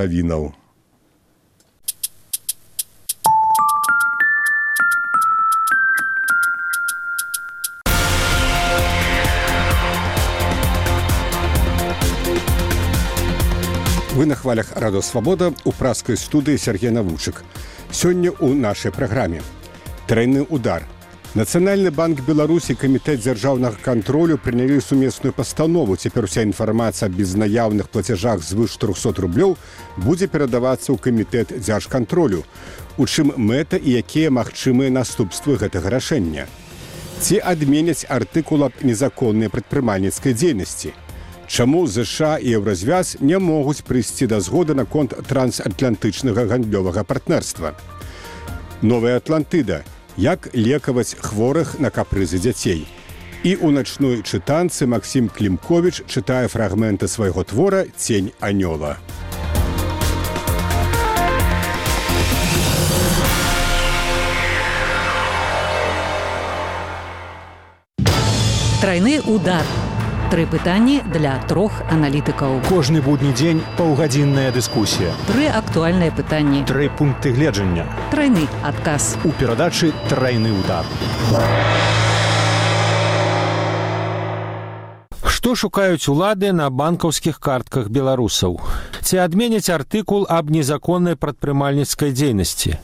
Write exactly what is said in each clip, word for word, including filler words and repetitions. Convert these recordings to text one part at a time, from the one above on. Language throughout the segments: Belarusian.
навінаў. Вы на хвалях Радио Свобода, у праскай студыі Сергей Навучык. Сёння ў нашай праграме. Трайны удар. Нацыянальны банк Беларусі і камітэт дзяржаўнага кантролю прынялі сумесную пастанову. Цяпер уся інфармацыя аб безнаяўных плацяжах звыш трохсот рублёў будзе перадавацца ў камітэт дзяржкантролю. У чым мэта і якія магчымыя наступствы гэтага рашэння? Ці адменяць артыкул аб незаконнай прадпрымальніцкай дзейнасці? Чаму ЗША і Еўразвяз не могуць прыйсці да згоды наконт трансатлантычнага гандлёвага партнерства? Новая Атлантыда. Як лекаваць хворых на капрызы дзяцей. І ў начной чытанцы Максім Клімковіч чытае фрагменты свайго твора «Цень анёла». Трайны удар. Тры пытанні для трох аналітыкаў. Кожны будні дзень паўгадзінная дыскусія. Тры актуальныя пытанні. Тры пункты гледжання. Трайны адказ. У перадачы «Трайны удар». Што шукаюць улады на банкаўскіх картках беларусаў? Ці адменяць артыкул аб незаконнай прадпрымальніцкай дзейнасці?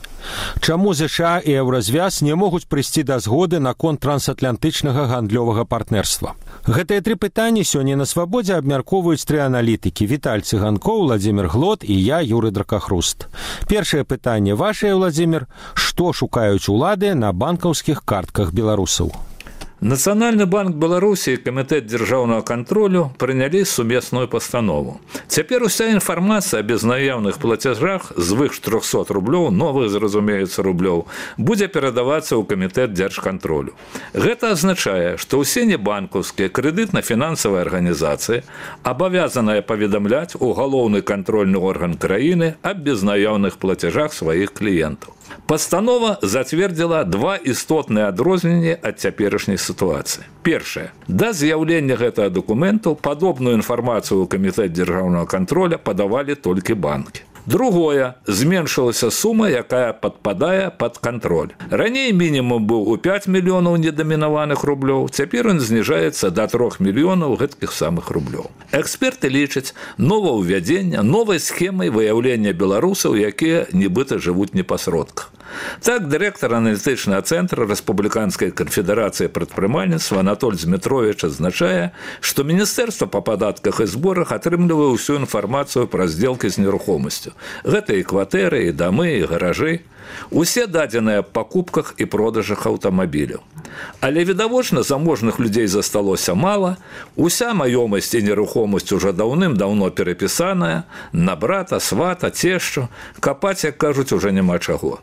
Чаму ЗША і Еўразвяз не могуць прыйсці да згоды наконт трансатлантычнага гандлёвага партнерства? Гэтыя тры пытанні сёння на Свабодзе абмяркоўваюць тры аналітыкі: Віталь Цыганкоў, Владзімір Глот і я, Юрый Дракахруст. Першае пытанне вашае, Владзімір: што шукаюць улады на банкаўскіх картках беларусаў? Нацыянальны банк Беларусі і камітэт дзяржаўнага кантролю прынялі сумесную пастанову. Цяпер уся інфармацыя аб безнаяўных плацяжах звыш трохсот рублёў, новых, зразумеецца, рублёў, будзе перадавацца ў камітэт дзяржкантролю. Гэта азначае, што ўсе небанкаўскія крэдытна-фінансавыя арганізацыі абавязаныя паведамляць у галоўны кантрольны орган краіны аб безнаяўных плацяжах сваіх кліентаў. Пастанова зацвердзіла два істотныя адрозненні ад цяперашняй сітуацыі. Першае. Да з'яўлення гэтага дакументу падобную інфармацыю ў камітэт дзяржаўнага кантроля падавалі толькі банкі. Другое. Зменшылася сума, якая падпадае пад кантроль. Раней мінімум быў у пяць мільёнаў недамінаваных рублёў, цяпер ён зніжаецца да трох мільёнаў гэткіх самых рублёў. Эксперты лічаць новаўвядзення новай схемай выяўлення беларусаў, якія нібыта жывуць не па сродках. Так, дырэктар аналітычнага цэнтра Рэспубліканскай канфедэрацыі прадпрымальніцтва Анатоль Змітровіч адзначае, што Міністэрства па падатках і зборах атрымлівае ўсю інфармацыю пра здзелкі з нерухомасцю. Гэта і кватэры, і дамы, і гаражы. Усе дадзеныя аб пакупках і продажах аўтамабіляў. Але, відавочна, заможных людзей засталося мала, уся маёмасць і нерухомасць ужо даўным-даўно перапісаная, на брата, свата, цешчу, капаць, як кажуць, ужо няма чаго.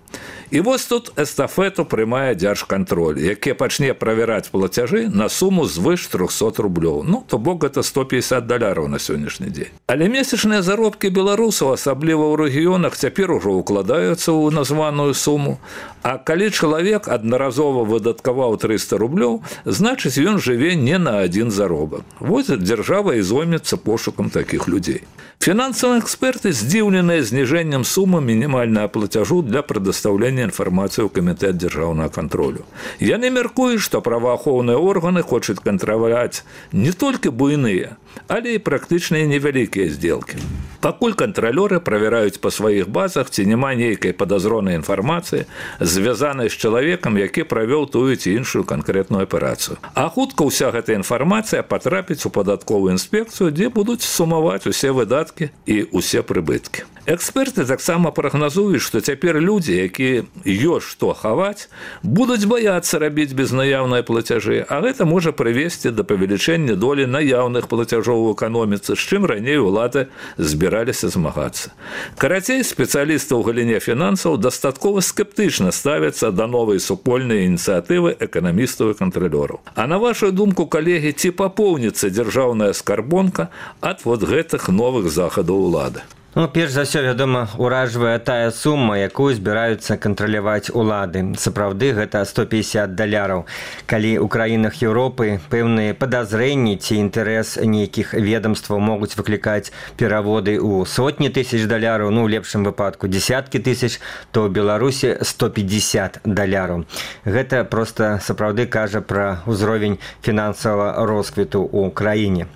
І вось тут эстафету прымае дзяржкантроль, які пачне правяраць плацяжы на суму звыш трохсот рублёў. Ну, то бок гэта сто пятьдесят даляраў на сённяшні дзень. Але месячныя заробкі беларусаў, асабліва ў рэгіёнах, цяпер ужо укладаюцца ў названую суму. А калі чалавек аднаразова выдаткаваў трыста рублёў, значыць, ён жыве не на адзін заробак. Вось дзяржава і зоймецца пошукам такіх людзей. Фінансавыя эксперты здзіўленыя зніжэннем сумы мінімальнага плацяжу для прадастаўлення інфармацыі ў камітэт дзяржаўнага кантролю. Яны мяркуюць, што праваахоўныя органы хочуць кантраляваць не толькі буйныя, але і практычныя невялікія здзелкі. Пакуль кантралёры правяраюць па сваіх базах, ці няма нейкай падазронай інфармацыі, звязанай з чалавекам, які правёў тую ці іншую канкрэтную аперацыю. А хутка ўся гэта інфармацыя патрапіць у падатковую інспекцыю, дзе будуць сумаваць усе выдаткі і усе прыбыткі. Эксперты таксама прагназуюць, што цяпер людзі, якія ёсць што хаваць, будуць баяцца рабіць безнаяўныя плацяжы, а гэта можа прывесці да павелічэння долі наяўных плацяжоў у эканоміцы, з чым раней улады збіраліся змагацца. Карацей, спецыялісты ў галіне фінансаў дастаткова скептычна ставяцца да новай супольнай ініцыятывы эканамістаў і кантралёраў. А на вашу думку, калегі, ці папоўніцца дзяржаўная скарбонка ад вот гэтых новых захадаў улады? Ну, перш за ўсё, вядома, уражвае тая сума, якую збіраюцца кантраляваць улады. Сапраўды, гэта сто пятьдесят даляраў. Калі ў краінах Еўропы пэўныя падазрэнні ці інтарэс нейкіх ведомстваў могуць выклікаць пераводы ў сотні тысяч даляраў, ну, ў лепшым выпадку десяткі тысяч, то ў Беларусі сто пятьдесят даляраў. Гэта проста сапраўды кажа пра ўзровень фінансавага росквіту ў краіне.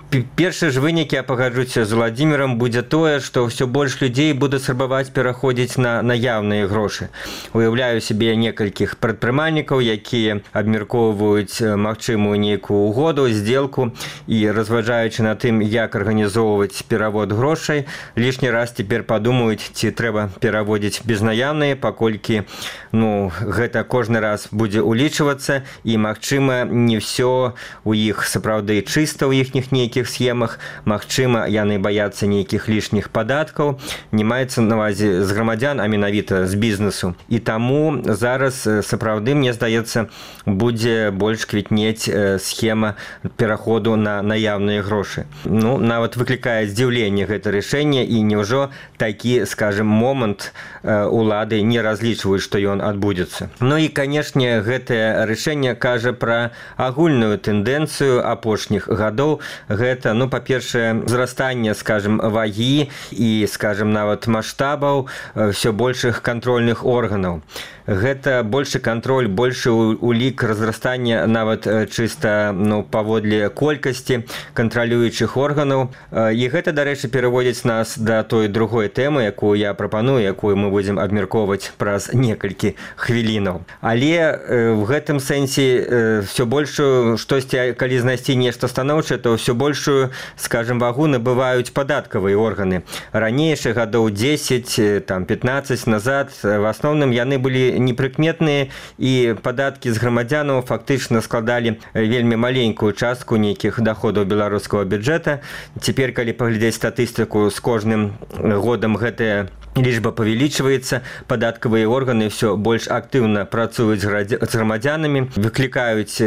Першы ж вынік, я пагаджуся з Владзімірам, будзе тое, што ўсё больш людзей будуць спрабаваць пераходзіць на наяўныя грошы. Уяўляю сябе некалькіх прадпрымальнікаў, якія абмяркоўваюць магчымую нейкую угоду, здзелку і, разважаючы на тым, як арганізоўваць перавод грошай, лішні раз цяпер падумаюць, ці трэба пераводзіць безнаяўныя, паколькі ну, гэта кожны раз будзе улічвацца і, магчыма, не ўсё у іх сапраўды чыста ў іхніх нейкіх схемах, магчыма, яны баяцца нейкіх лішніх падаткаў, не маецца на ўвазе з грамадзян, а менавіта з бізнесу. І таму зараз сапраўды, мне здаецца, будзе больш квітнець схема пераходу на наяўныя грошы. Ну, нават выклікае здзіўленне гэта рашэнне, і няўжо такі, скажем, момант улады не разлічваюць, што ён адбудзецца. Ну і, канешне, гэтае рашэнне кажа пра агульную тэндэнцыю апошніх гадоў. Гэта, ну, па-першае, зрастанне, скажем, вагі і, скажем, нават маштабаў ўсё большых кантрольных органаў. Гэта большы кантроль, большы улік разрастання нават чыста ну, паводле колькасці кантралюючых органаў. І гэта, дарэчы, пераводзіць нас да той другой тэмы, якую я прапаную, якую мы будзем абмяркоўваць праз некалькі хвілінаў. Але в гэтым сэнсе ўсё большую, штосьці, калі знайсці нешта станоўчае, то ўсё большую, скажем, вагу набываюць падаткавыя органы. Ранейшы гадоў дзесяць, там, пятнаццаць назад в асноўным яны былі непрыкметныя, і падаткі з грамадзянаў фактычна складалі вельмі маленькую частку нейкіх даходаў беларускага бюджэта. Цяпер, калі паглядзець статыстыку, з кожным годам гэтая лічба павялічваецца, падаткавыя органы ўсё больш актыўна працуюць з грамадзянамі, выклікаюць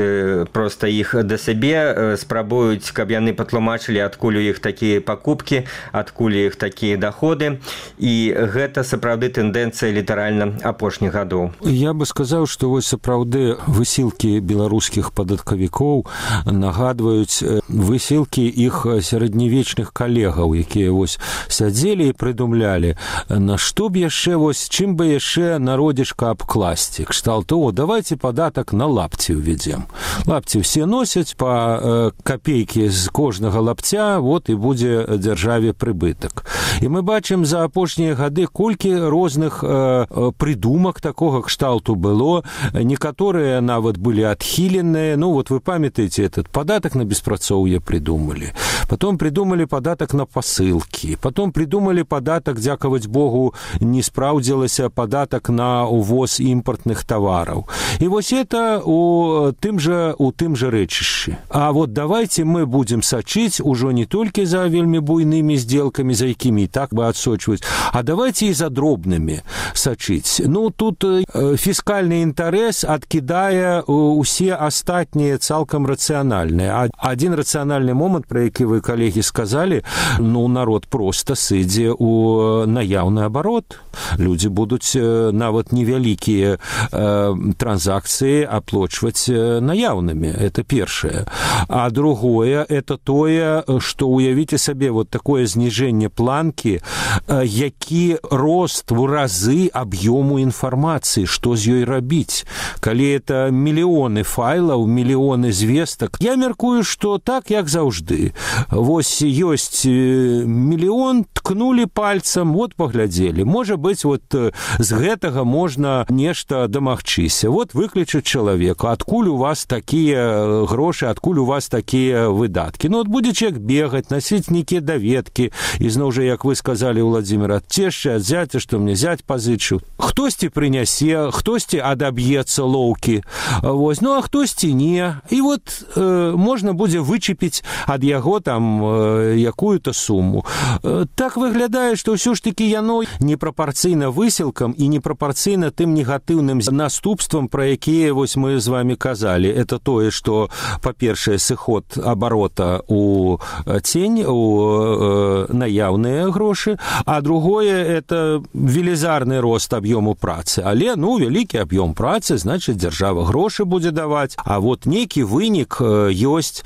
проста іх да сябе, спрабуюць, каб яны патлумачылі, адкуль у іх такія пакупкі, адкуль у іх такія даходы, і гэта сапраўды тэндэнцыя літаральна апошніх гадоў. Я бы сказаў, што вось сапраўды высілкі беларускіх падаткавікоў нагадваюць высілкі іх сярэднявечных калегаў, якія вось сядзелі і прыдумлялі, на што б яшчэ, вось, чым бы яшчэ народзішка абкласці. Кшталту, о, давайте падатак на лапці ўведзем. Лапці ўсе носяць па э, капейкі з кожнага лапця, вот і будзе дзяржаве прыбытак. І мы бачым за апошнія гады, колькі розных э, прыдумак такога кшталту было. Некаторыя нават былі адхіленыя. Ну, вот вы памятаеце, этот падатак на беспрацоўе придумали. Потом придумали падатак на пасылкі. Потом придумали падатак, дзякаваць Богу, не спраўдзілася, падатак на увоз імпартных тавараў. І вось это у тым жа, у тым жа рэчышчы. А вот давайте мы будем сачыць ужо не толькі за вельмі буйнымі здзелкамі, за якімі і так бы адсочваць, а давайте і за дробнымі сачыць. Ну, тут фіскальны інтарэс адкідае усе астатнія цалкам рацыянальныя. Адзін рацыянальны момант, пра які вы, калегі, сказалі, ну, народ проста сыдзе у наяўны абарот. Людзі будуць нават невялікія э, транзакцыі аплочваць наяўнымі. Это першае. А другое, это тое, што уявіце сабе вот такое зніжэнне планкі, э, які рост в разы аб'ёму інфармацыі, што з ёй рабіць. Калі это мільёны файлаў, мільёны звестак, я мяркую, што так, як заўжды. Вось ёсць мільён, ткнулі пальцам, вот паглядзелі. Можа быць, вот з гэтага можна нешта дамагчыся. Вот выклічаць чалавека, адкуль у вас такія грошы, адкуль у вас такія выдаткі. Ну, от будзеце як бегаць, насіць нейкія даведкі, і зноў жа, як вы сказалі, Владзімір, ад цешчы, ад зяця, што мне зять пазычыў. Хтосьці прынясе, хтосьці адаб'ецца лоўкі. Вось, ну, а хтосьці не. І вот э, можна будзе вычепіць ад яго там э, якую-то суму. Э, так выглядае, што ўсё ж такі яно яно непрапарцыйна высілкам і непрапарцыйна тым негатыўным наступствам, пра якія вось мы з вами казалі. Это тое, што, па-першае, сыход абарота у цень, у наяўныя грошы, а другое – это велізарны рост аб'ёму працы. Але, ну, вялікі аб'ём працы, значыць, дзяржава грошы будзе даваць, а вот нейкі вынік ёсць.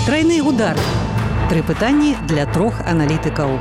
Тройны удар. Тры пытанні для трох аналітыкаў.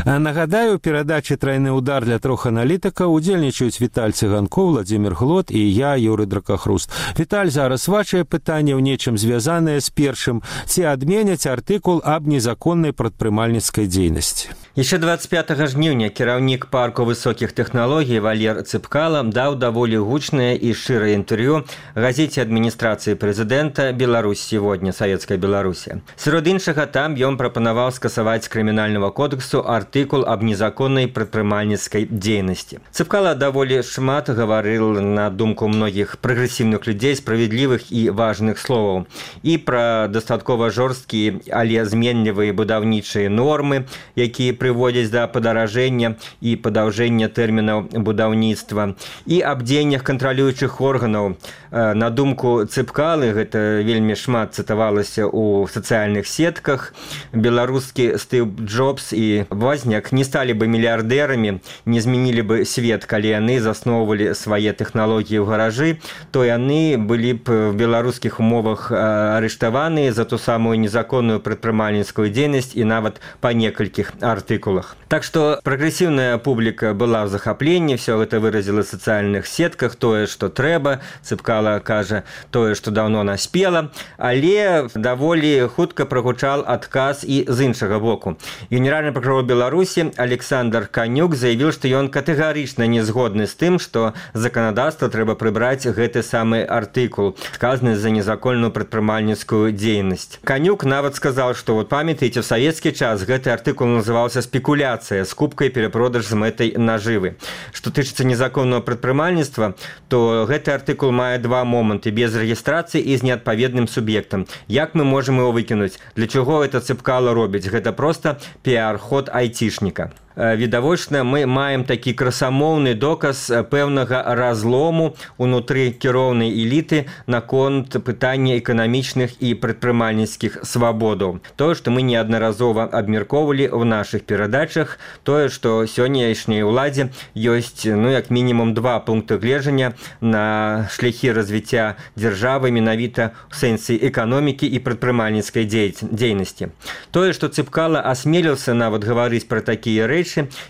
Нагадаю, у перадачы «Тройны удар» для трох аналітыкаў удзельнічаюць Віталь Цыганкоў, Владзімір Глот і я, Юрый Дракахруст. Віталь, зараз вашае пытанне ў нечым звязанае з першым. Ці адменяць артыкул аб незаконнай прадпрымальніцкай дзейнасці? Яшчэ двадцать пятого жніўня кіраўнік парку высокіх тэхналогій Валер Цыпкала даў даволі гучнае і шчырае інтэрв'ю газеце адміністрацыі прэзідэнта «Беларусь сегодня», Савецкая Беларусі. Сярод іншага, там ён прапанаваў скасаваць з крымінальнага кодексу артыкул аб незаконнай прадпрымальніцкай дзейнасці. Цыпкала даволі шмат гаварыў, на думку многіх прагрэсіўных людзей, справядлівых і важных словаў і пра дастаткова жорсткія, але зменлівыя будаўнічыя нормы, якія прыводзяць да падаражэння і падаўжэння тэрмінаў будаўніцтва, і аб дзеяннях кантралюючых органаў. На думку Цыпкалы, гэта вельмі шмат цытавалася ў сацыяльных сетках, беларускі Стыў Джобс і Возняк не сталі бы мільярдэрамі, не змянілі бы свет, калі яны засноўвалі свае тэхналогіі ў гаражы, то яны былі б в беларускіх умовах арыштаваныя за ту самую незаконную прадпрымальніцкую дзейнасць і нават па некалькіх артыкулах. Так што прагрэсіўная публіка была ў захапленні, все гэта выразіла в сацыяльных сетках, тое, што трэба. Цыпкала кажа тое, што даўно наспела, але даволі хутка прагучаў адказ і з іншага боку. Генеральны прокурор Беларусі Александр Канюк заявіў, што ён катэгарычна не згодны з тым, што заканадаўства трэба прыбраць гэты самы артыкул, сказаны за незаконную прадпрымальніцкую дзейнасць. Канюк нават сказаў, што вот памятаеце, в савецкі час гэты артыкул называўся спекуляцыя, скупка і перапродаж з мэтай нажывы. Што тычыцца незаконного прадпрымальніцтва, то гэты артыкул мае два моманты: без рэгістрацыі і з неадпаведным суб'ектам. Як мы можам его выкінуць? Для чаго гэта Цыпкала робіць? Гэта проста піар-ход айцішніка. Відавочна, мы маем такі красамоўны доказ пэўнага разлому унутры кіроўнай эліты наконт пытання эканамічных і прадпрымальніцкіх свабодаў. Тое, што мы неаднаразова абмяркоўвалі ў нашых перадачах, тое, што сённяшняй уладзе ёсць, ну, як мінімум два пункты гледжання на шляхі развіцця дзяржавы менавіта ў сэнсе эканомікі і прадпрымальніцкай дзейнасці. Тое, што Цыпкала асмеліўся нават гаварыць пра такія рэчы,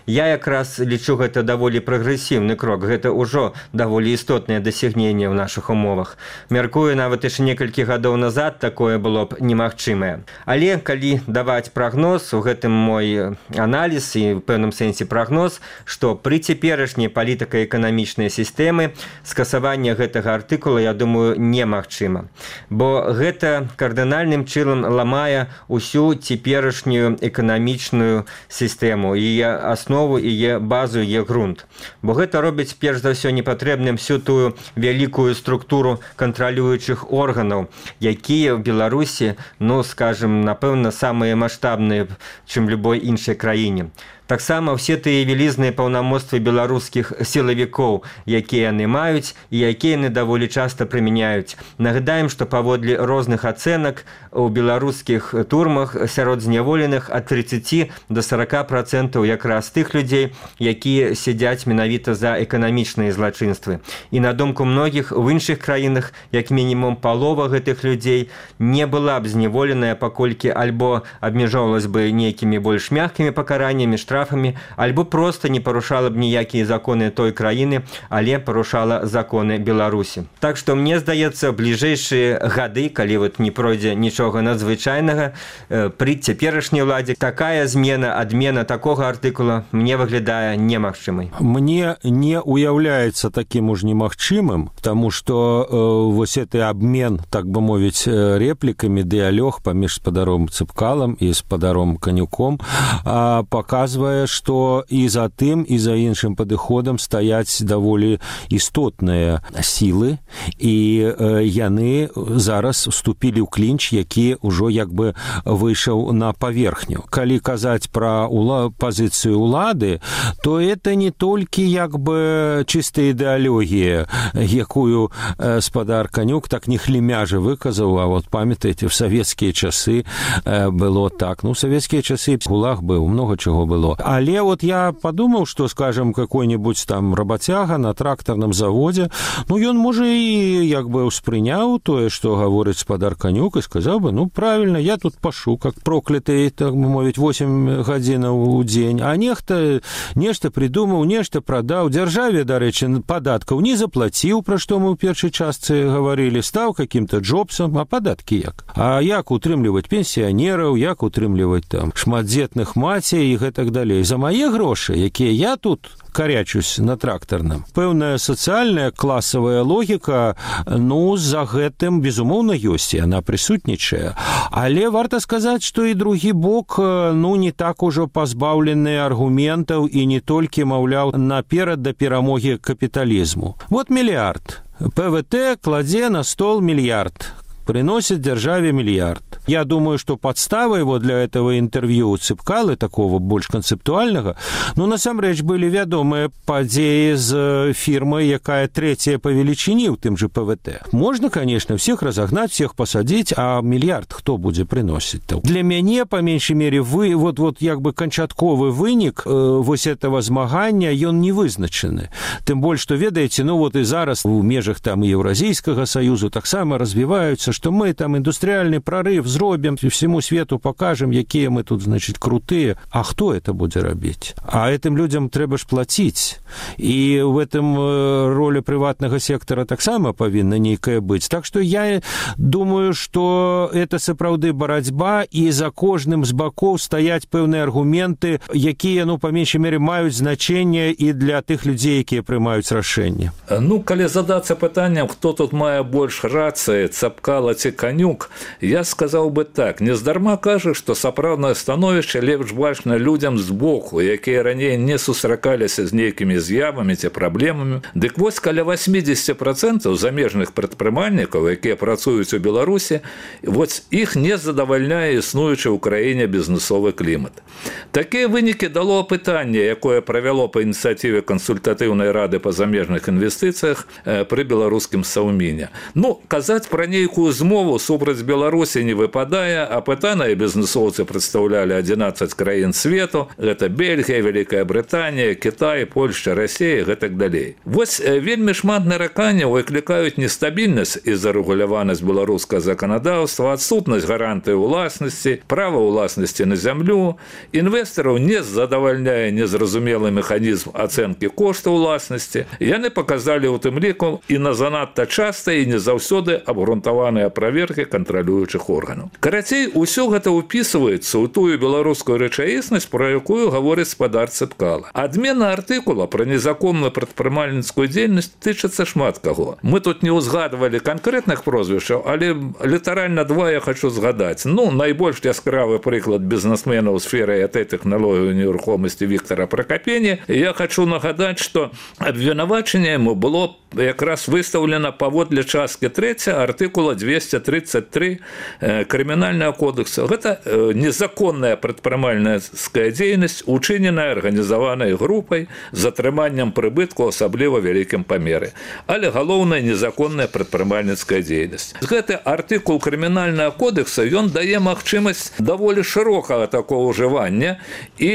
я якраз лічу, гэта даволі прагрэсіўны крок, гэта ўжо даволі істотнае дасягненне ў нашых умовах. Мяркую, нават яшчэ некалькі гадоў назад такое было б немагчымае. Але калі даваць прагноз, у гэтым мой аналіз і в пэўным сэнсе прагноз, што пры цяперашняй палітыка-эканамічнай сістэмы скасаванне гэтага артыкула, я думаю, немагчыма. Бо гэта кардынальным чынам ламае ўсю цяперашнюю эканамічную сістэму, і аснову, і базу, і грунт. Бо гэта робіць перш за ўсё непатрэбным всю тую вялікую структуру кантралюючых органаў, якія ў Беларусі, ну, скажем, напэўна, самыя маштабныя, чым любой іншай краіне. Таксама ўсе тыя вялізныя паўнамоцтвы беларускіх сілавікоў, якія яны маюць і якія яны даволі часта прымяняюць. Нагадаем, што паводле розных ацэнак у беларускіх турмах сярод зняволеных ад тридцати до сорока процентаў якраз тых людзей, якія сядзяць менавіта за эканамічныя злачынствы. І на думку многіх, у іншых краінах як мінімум палова гэтых людзей не была б зняволеная, паколькі альбо абмяжоўвалась бы нейкімі больш мяккімі пакараннямі, штрафамі, альбо просто не парушала б ніякія законы той краіны, але парушала законы Беларусі. Так што мне здаецца, бліжэйшыя гады, калі вот не пройдзе нічога надзвычайнага, пры цяперашняй уладзе такая змена, адмена такога артыкула мне выглядае немагчымай. Мне не уяўляецца таким уж немагчымым, потому что э, вось гэты обмен, так бы мовіць, репликами, дыялог паміж спадаром Цыпкалам і спадаром Канюком э, показвае, что і за тым, і за іншым падыходам стаяць даволі істотныя сілы, і э, яны зараз уступілі ў клінч, які ўжо як бы выйшаў на паверхню. Калі казаць пра ула... пазіцыю улады, то это не толькі як бы чыстая ідэалогія, якую э, спадар Канюк так не хлемяжа выказаў, а вот памятаеце, в савецкія часы э, было так. Ну, в савецкія часы ГУЛАГ быў, много чего было. Але вот я подумал, что, скажем, какой-нибудь там работяга на тракторном заводе, ну, ён, можа, і як бы успрыняў тое, што гаворыць спадар Канюк, і сказаў бы, ну, правильно, я тут пашу, как прокляты, так бы мовіць, восемь гадзінаў у дзень, а нехта нешта придумаў, нешта прадаў, дзяржаве, дарэчы, падаткаў не заплаціў, пра што мы ў першай частцы гаварылі, стаў каким-то Джобсом, а падаткі як? А як утрымліваць пенсіянераў, як утрымліваць там шматдзетных мацей і гэтак далей. За мае грошы, якія я тут карячусь на трактарным. Пэўная сацыяльная класавая логіка, ну, за гэтым, безумоўна, ёсць, і яна прысутнічае. Але варта сказаць, што і другі бок, ну, не так ужо пазбаўлены аргументаў і не толькі, маўляў, наперад да перамогі капіталізму. Вот мільярд. ПВТ кладзе на стол мільярд. Приносит державе миллиард. Я думаю, что подставой его для этого интервью Цыпкалы, такого больше концептуального, ну, насамрэч, были вядомыя падзеі з фирмой, якая третья по величине в тем же ПВТ. Можно, конечно, всех разогнать, всех посадить, а миллиард кто будет приносить-то? Для мяне, по меньшей мере, вы, вот, вот, як бы, канчатковы вынік э, вось этого змагання, ён не вызначены. Тем больше, что, ведаете, ну, вот и зараз в межах там Евразийского союза так само развиваются, что мы там индустриальный прорыв зробим, всему свету покажем, якія мы тут, значит, крутые. А кто это будет робить? А этим людям трэба ж платить. И в этом роли приватного сектора так само повинна нейкая быть. Так что я думаю, что это сапраўды барацьба, и за кожным з бакоў стаять пэўныя аргументы, якія, ну, по меньшей мере, маюць значение и для тых людей, якія прымаюць рашэнне. Ну, калі задацца пытаннем, хто тут мае больш рацыі, Цыпкала ці Канюк, я сказаў бы так, нездарма кажа, што сапраўднае становішча лепш бачна людзям збоку, якія раней не сустракаліся з нейкімі з'явамі ці праблемамі. Дык вось каля восемьдесят процентов замежных прадпрымальнікаў, якія працуюць у Беларусі, вось іх не задавальняе існуючы ў краіне бізнесовы клімат. Такія вынікі дало апытанне, якое правяло па ініцыятыве кансультатыўнай рады па замежных інвестыцыях пры беларускім Саўміне. Ну, казаць пра нейкую змову супраць Беларусі не выпадае, апытаныя бізнесоўцы прадстаўлялі адзінаццаць краін свету, гэта Бельгія, Вялікая Брытанія, Кітай, Польшча, Расія, гэтак далей. Вось вельмі шмат нараканняў выклікаюць нестабільнасць і зарэгуляванасць беларускага заканадаўства, адсутнасць гарантыі ўласнасці, права ўласнасці на зямлю. Інвестараў не задавальняе незразумелы механізм ацэнкі кошту ўласнасці. Яны паказалі ў тым ліку і на занадта часта і не заўсёды абгрунтаваныя праверкі кантралюючых органаў. Карацей, усё гэта ўпісваецца ў тую беларускую рэчаіснасць, пра якую гаворыць спадар Цыпкала. Адмена артыкула пра незаконную прадпрымальніцкую дзейнасць тычыцца шмат каго. Мы тут не ўзгадвалі канкрэтных прозвішчаў, але літаральна два я хочу згадаць. Ну, найбольш яскравы прыклад бізнесмена ў сферы ай ти-тэхналогіі нерухомасці Віктора Пракапені. Я хочу нагадаць, што абвінавачанне яму было якраз выстаўлена паводле часткі трэцяй артыкула двести тридцать три крымінальнага кодекса. Гэта незаконная прадпрымальніцкая дзейнасць, учыненая арганізаванай групай з атрыманнем прыбытку асабліва вялікім памеры. Але галоўная незаконная прадпрымальніцкая дзейнасць. Гэты артыкул крымінальнага кодекса, ён дае магчымасць даволі шырокага такого ўжывання і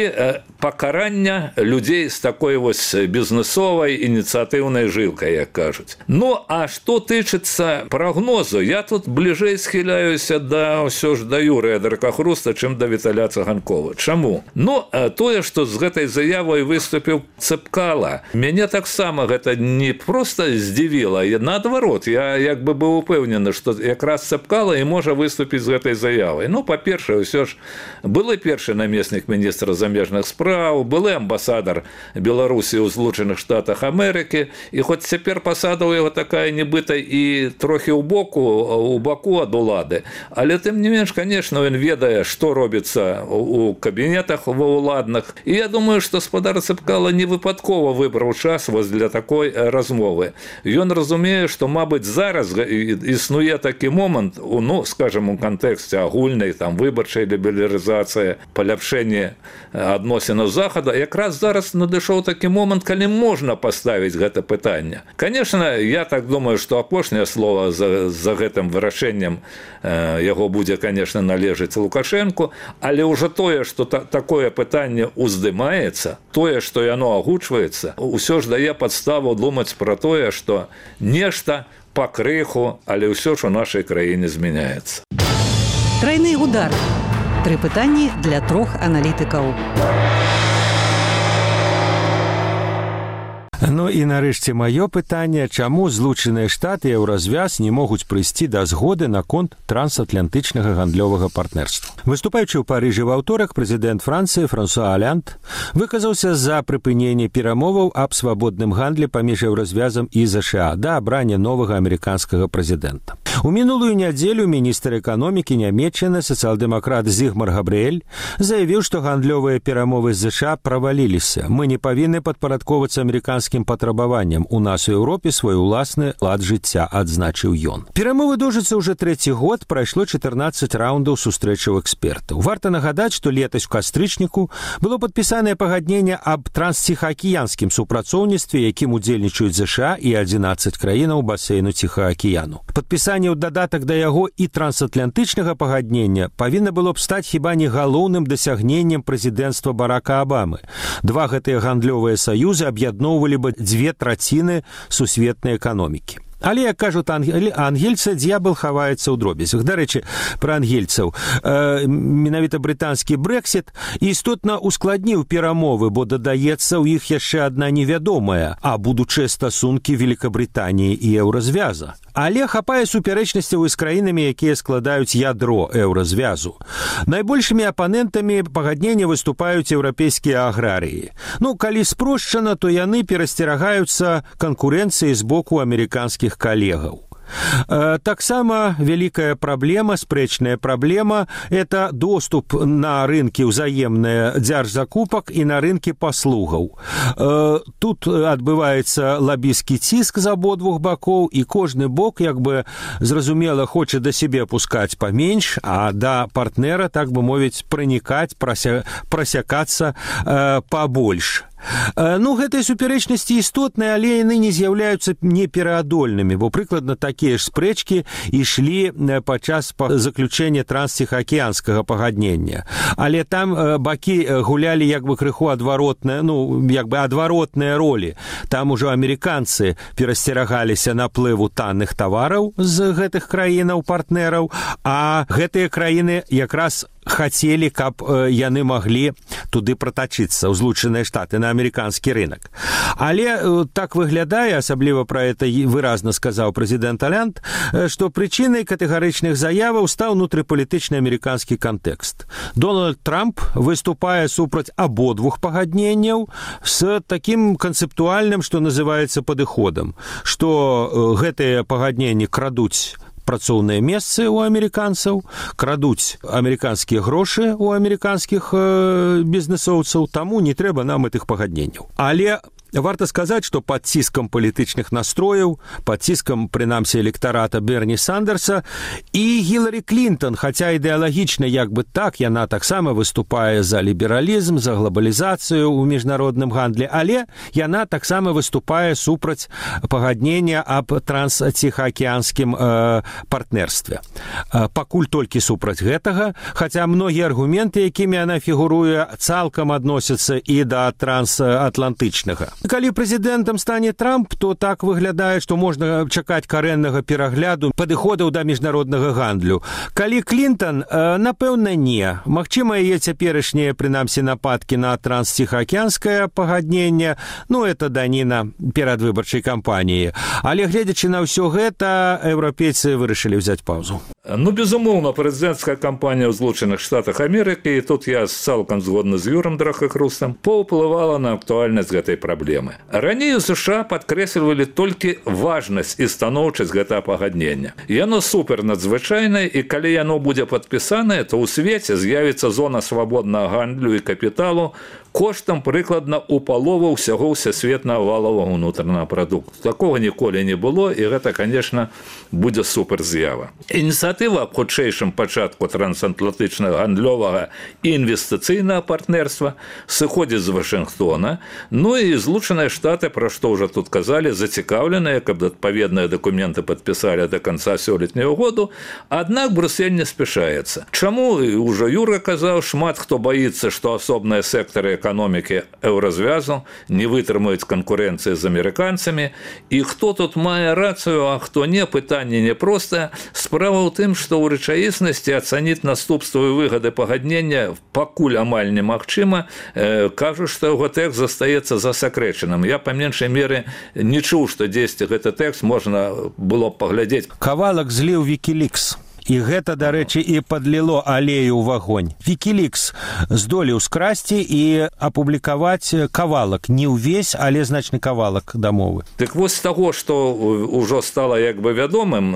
пакарання людзей з такой вось бізнесовай ініцыятыўнай жылкай, як кажуць. Ну, а што тычыцца прагнозу, я тут бліжэй схіляюся да ўсё ж да Юрыя Дракахруста, чым да Віталя Цаганкова. Чаму? Ну, тое, што з гэтай заявай выступіў Цепкала, мяне таксама гэта не проста здзівіла, наадварот, я як бы быў упэўнены, што якраз Цепкала і можа выступіць з гэтай заявай. Ну, па-першае, ўсё ж былы першы намеснік міністра замежных спраў, былы амбасадар Беларусі ў Злучаных Штатах Амерыкі, і хоць цяпер пасада ў яго такая нібыта і трохі ў боку, у баку ад улады, але тым не менш, конечно, ён ведае, што робіцца у кабінетах ва ўладных, і я думаю, што спадар Цепкала не выпадкова выбраў час вось для такой размовы. Ён разумее, што, мабыць, зараз існуе такі момант, ну, скажем, у кантэксце агульнай там выбарчай лібералізацыі, паляпшэння адносінаў захада, якраз зараз надышоў такі момант, калі можна паставіць гэта пытанне. Конечно, я так думаю, што апошняе слово за, за гэтым вырашэннем э, яго будзе, конечно, належыць Лукашенку, але ўжо тое, што та, такое пытанне уздымаецца, тое, што яно агучваецца, ўсё ж дае падставу думаць пра тое, што нешта пакрыху, але ўсё ж у нашай краіне змяняецца. Тройны удар. Тры пытанні для трох аналітыкаў. Ну і нарэшце маё пытанне, чаму Злучаныя Штаты і Еўразвяз не могуць прыйсці да згоды наконт трансатлантычнага гандлёвага партнерства. Выступаючы ў Парыжы ва ўторак, прэзідэнт Францыі Франсуа Аланд выказаўся за прыпыненне перамоваў аб свабодным гандлі паміж Еўразвязам і ЗША да абрання новага амерыканскага прэзідэнта. У мінулую нядзелю міністр эканомікі Нямецчыны, сацыял-дэмакрат Зігмар Габрыэль, заявіў, што гандлёвыя перамовы з ЗША праваліліся. Мы не павінны падпарадковацца амерыканскім патрабаванням. У нас у Еўропе свой уласны лад жыцця, адзначыў ён. Перамовы доўжацца ўжо трэці год, прайшло чатырнаццаць раўндаў сустрэчаў экспертаў. Варта нагадаць, што летась у кастрычніку было падпісанае пагадненне аб трансціхаакіянскім супрацоўніцтве, якім удзельнічаюць ЗША і адзінаццаць краінаў басейну Ціхаакіяну. Падпісанне ў дадатак да яго і трансатлантычнага пагаднення павінна было б стаць хіба не галоўным дасягненнем прэзідэнцтва Барака Абамы. Два гэтыя гандлёвыя саюзы аб'ядноўвалі бы дзве траціны сусветнай эканомікі. Але, як кажуць ангельцы, д'ябал хаваецца ў дробязях. Дарэчы, пра ангельцаў. Э, менавіта брытанскі Брэксіт істотна ускладніў перамовы, бо дадаецца ў іх яшчэ адна невядомая, а будучыя стасункі Великабрытаніі і Еўразвяза. Але хапае супярэчнасцяў і з краінамі, якія складаюць ядро Еўразвязу. Найбольшымі апанентамі пагаднення выступаюць еўрапейскія аграрыі. Ну, калі спрошчана, то яны перасцерагаюцца канкурэнцыі з боку амерыканскіх калегаў. Таксама вялікая праблема, спрэчная праблема – это доступ на рынкі ўзаемныя дзяржзакупак і на рынкі паслугаў. Тут адбываецца лабісцкі ціск з абодвух бакоў, і кожны бок, як бы, зразумела, хоча да сябе пускаць паменш, а да партнера, так бы мовіць, пранікаць, прася, прасякацца э, пабольш. Ну, гэтыя супярэчнасці істотныя, але яны не з'яўляюцца непераадольнымі, бо прыкладна такія ж спрэчкі ішлі падчас заключэння трансціхаакіянскага пагаднення. Але там бакі гулялі як бы крыху адваротныя, ну, як бы адваротныя ролі. Там ужо амерыканцы перасцерагаліся наплыву танных тавараў з гэтых краінаў-партнераў, а гэтыя краіны якраз хацелі, каб яны маглі туды пратачыцца ў Злучаныя Штаты на амерыканскі рынок. Але так выглядае, асабліва пра гэта выразна сказаў прэзідэнт Аланд, што прычынай катэгарычных заяваў стаў унутрыпалітычны амерыканскі кантэкст. Дональд Трамп выступае супраць абодвух пагадненняў з такім канцэптуальным, што называецца падыходам, што гэтыя пагадненні крадуць працоўныя месцы ў амерыканцаў, крадуць амерыканскія грошы ў амерыканскіх э, бізнесоўцаў, таму не трэба нам гэтых пагадненняў. Але варта сказаць, што пад ціскам палітычных настрояў, пад ціскам, прынамсі, электарата Берні Сандерса і Гіларі Клінтон, хаця ідэалагічна як бы так, яна таксама выступае за лібералізм, за глобалізацыю ў міжнародным гандлі, але яна таксама выступае супраць пагаднення аб трансціхаакіянскім э, партнерстве. Э, пакуль толькі супраць гэтага, хаця многія аргументы, якімі яна фігуруе, цалкам адносяцца і да трансатлантычнага. Калі прэзідэнтам стане Трамп, то так выглядае, што можна чакаць карэннага перагляду падыходаў да міжнароднага гандлю. Калі Клінтон, напэўна, не. Магчыма, яе цяперашнія, прынамсі, нападкі на трансціхаакіянскае пагадненне, ну, это даніна перадвыбарчай кампаніі. Але, гледзячы на ўсё гэта, еўрапейцы вырашылі ўзяць паўзу. Ну, безумоўна, прэзідэнцкая кампанія ў Злучаных Штатах Амерыкі, і тут я цалкам згодны з Юрам Драхакрустам, паўплывала на актуальнасць гэтай праблемы. Раней у США падкрэслівалі толькі важнасць і станоўчасць гэтага пагаднення. Яно супер надзвычайнае, і калі яно будзе падпісанае, то ў свеце з'явіцца зона свабоднага гандлю і капіталу коштам прыкладна ў палову ўсяго ўсесветнага валовага ўнутранага прадукту. Такога ніколі не было, і гэта, конечно, будзе супер з'ява. Ініцыятыва аб хутчэйшым пачатку трансатлантычнага гандлёвага і інвестыцыйнага партнерства сыходзіць з Вашынгтона, ну і Злучаныя Штаты, пра што ўжо тут казалі, зацікаўленыя, каб адпаведныя дакументы падпісалі да канца сёлетняга году, аднак Брюссель не спяшаецца. Чаму, ўжо Юра казаў, шмат хто баіцца, што асобныя сектары эканомікі еўразвязу не вытрымаюць канкурэнцыі з амерыканцамі, і хто тут мае рацыю, а хто не, пытанне непростае. Справа ў тым, што ў рэчаіснасці ацаніць наступствы і выгады пагаднення пакуль амаль немагчыма, э, кажуць, што яго тэкст застаецца засакрэчаным. Я па меншай меры не чуў, што дзесьці гэты тэкст можна было б паглядзець. Кавалак зліў Вікілікс. І гэта, дарэчы, і падліло алею ў вагонь. Вікілікс здолеў скрасці і апублікаваць кавалак. Не ўвесь, але значны кавалак дамовы. Так вось з таго, што ўжо стала як бы вядомым,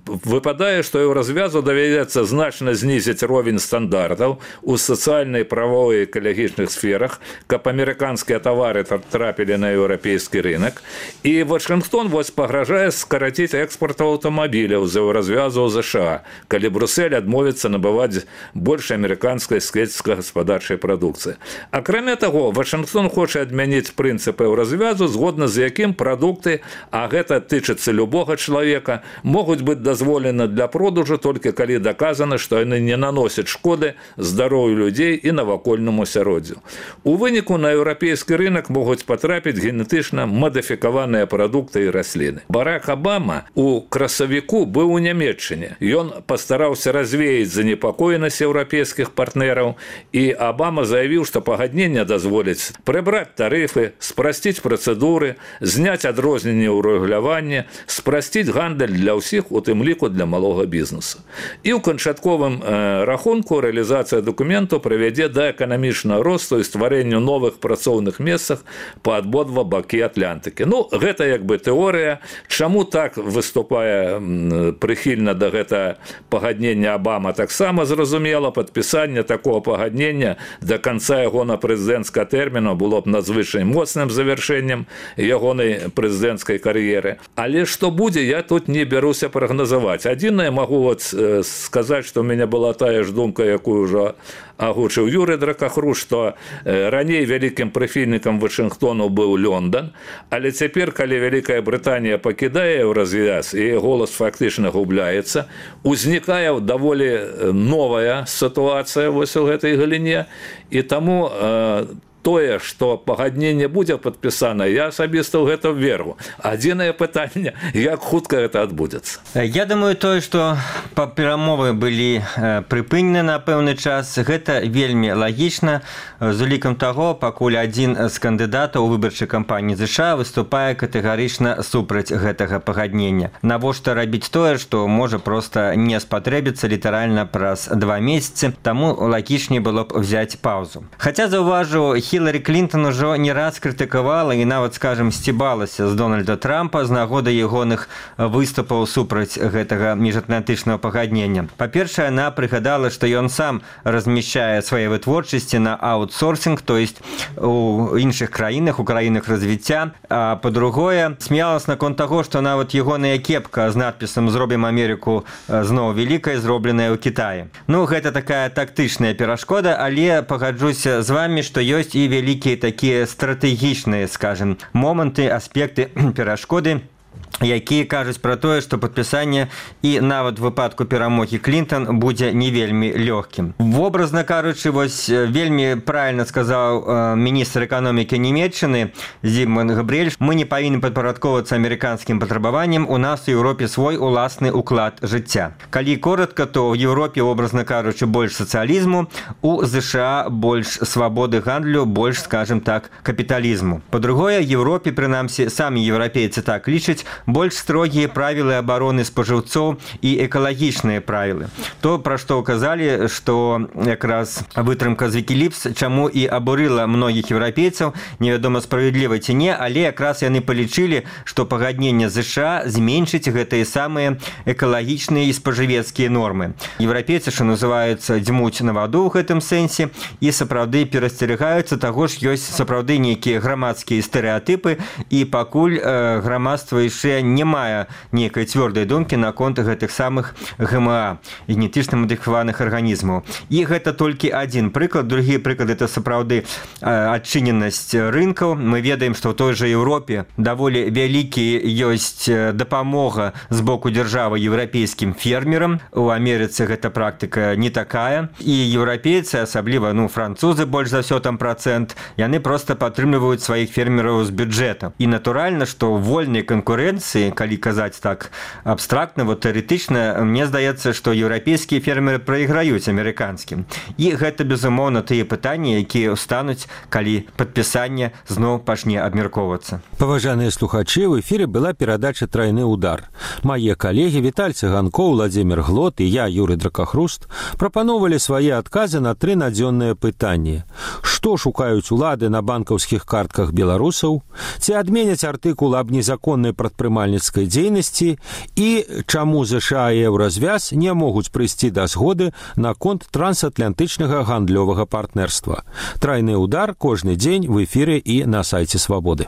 выпадае, што еўразвязу давядзецца значна знізіць ровень стандартаў у сацыяльнай, правовай і экалагічных сферах, каб амерыканскія тавары трапілі на еўрапейскі рынок. І Вашынгтон вось пагражае скараціць экспорт аўтамабіляў з еўразвязу ў ЗША, калі Брюссель адмовіцца набываць больш амерыканскай сельскагаспадарчай прадукцыі. Акрамя таго, Вашынгтон хоча адмяніць прынцып еўразвязу, згодна з якім прадукты, а гэта тычыцца любога чалавека, могуць быць дазволены для продажу толькі калі даказана, што яны не наносяць шкоды здароўю людзей і навакольнаму асяроддзю. У выніку на еўрапейскі рынок могуць патрапіць генетычна мадыфікаваныя прадукты і расліны. Барак Абама у красавіку быў у Нямецчыне. Ён пастараўся развеяць занепакоенасць еўрапейскіх партнераў, і Абама заявіў, што пагадненне дазволіць прыбраць тарыфы, спрасціць працэдуры, зняць адрозненне ў рэгуляванні, спрасціць гандаль для ўсіх, у тым ліку для малога бізнесу. І ў канчатковым э, рахунку рэалізацыя дакументу прывядзе да эканамічнага росту і стварэнню новых працоўных месцах па абодва бакі Атлантыкі. Ну, гэта як бы тэорыя. Чаму так выступае прыхільна да гэта пагаднення Абама, таксама зразумела, падпісанне такого пагаднення да канца ягона прэзідэнцкага тэрміну было б надзвычай моцным завяршэннем ягонай прэзідэнцкай кар'еры. Але што будзе, я тут не бяруся прагназаваць. Адзінае магу вот сказаць, што ў мяне была тая ж думка, якую ўжо агучыў Юры Дракахру, што раней вялікім прыхільнікам Вашынгтону быў Лондон, але цяпер, калі Вялікая Брытанія пакідае еўразвяз і голас фактычна губляецца, узнікае даволі новая сітуацыя вось у гэтай галіне, і таму э, тое, што пагадненне будзе падпісана, я асабіста ў гэта веру. Адзінае пытанне, як хутка гэта адбудзецца. Я думаю, тое, што перамовы былі прыпынены на пэўны час, гэта вельмі лагічна, з улікам таго, пакуль адзін з кандыдатаў у выбарчай кампаніі ЗША выступае катэгарычна супраць гэтага пагаднення. Навошта рабіць тое, што можа проста не спатрэбіцца літаральна праз два месяцы, таму лагічней было б взяць паўзу. Хаця заўважу, Хіларі Клінтон ужо не раз крытыкавала і нават, скажем, сцібалася з Дональда Трампа з нагоды ягоных выступаў супраць гэтага міжатлантычнага пагаднення. Па-першае, яна прыгадала, што ён сам размяшчае свае вытворчасці на аутсорсінг, то есть у іншых краінах, у краінах развіцця. А па-другое, смяялась наконт таго, што нават ягоная кепка з надпісам «Зробім Амерыку зноў вялікай», зробленая ў Кітаі. Ну, гэта такая тактычная перашкода, але пагаджуся з вамі, што ёсць і вялікія такія стратэгічныя, скажем, моманты, аспекты перашкоды, якія кажуць пра тое, што падпісанне і нават выпадку перамогі Клінтон будзе не вельмі лёгкім. Вобразна кажучы, вось вельмі правільна сказаў міністр эканомікі Нямецчыны Зігмунд Габрыэль, мы не павінны падпарадковвацца амерыканскім патрабаванням, у нас у Еўропе свой уласны уклад жыцця. Калі коратка, то ў Еўропе, образна кажучы, больш сацыялізму, у ЗША больш свабоды гандлю, больш, скажем так, капіталізму. Па-другое, Еўропе, прынамсі, самі еўрапейцы так лічаць, больш строгія правілы абароны спажыўцоў і экалагічныя правілы. То, пра што ўказалі, што якраз вытрымка з Вікіліпс, чаму і абурыла многіх еўрапейцаў, невядома, справядліва ці не, але якраз яны палічылі, што пагадненне ЗША зменшыць гэтыя самыя экалагічныя і спажывецкія нормы. Еўрапейцы, што называюцца, дзьмуць на ваду ў гэтым сэнсе і сапраўды перасцерагаюцца таго ж, ёсць сапраўды нейкія грамадскія стэрэатыпы, і пакуль э, грамадства яшчэ не мае нейкай цвёрдай думкі наконт гэтых самых ГМА, генетычна мадыфікаваных арганізмаў. І гэта толькі адзін прыклад. Другі прыклад – это сапраўды адчыненасць рынкаў. Мы ведаем, што ў той жа Еўропе даволі вялікі ёсць дапамога з боку дзяржавы еўрапейскім фермерам. У Амерыцы гэта практыка не такая. І еўрапейцы, асабліва ну, французы, больш за ўсё там працэнт, яны проста падтрымліваюць сваіх фермераў з бюджэта. І натуральна, што вольнай канкурэнцыі, калі казаць так абстрактна, вот тэарэтычна, мне здаецца, што еўрапейскія фермеры прайграюць амерыканскім. І гэта, безумоўна, тыя пытанні, якія ўстануць, калі падпісанне зноў пачне абмяркоўвацца. Паважаныя слухачы, в эфіры была перадача «Трайны удар». Мае калегі Віталь Цыганкоў, Владзімір Глот і я, Юрый Дракахруст, прапановалі свае адказы на тры надзённыя пытанні. Што шукаюць улады на банкаўскіх картках беларусаў? Ці адменяць артыкул аб незаконнай прадпрымальніцкай дзейнасці і чаму ЗША і Еўразвяз не могуць прыйсці да згоды наконт трансатлантычнага гандлёвага партнерства. Трайны удар кожны дзень в эфіры і на сайце Свабоды.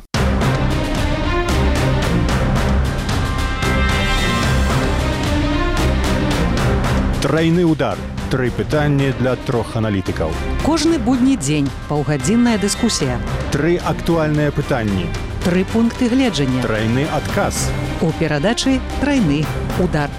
Трайны удар. Тры пытанні для трох аналітыкаў. Кожны будні дзень паўгадзінная дыскусія. Тры актуальныя пытанні. Тры пункты гледжання. Трайны адказ. У перадачы «Трайны удар».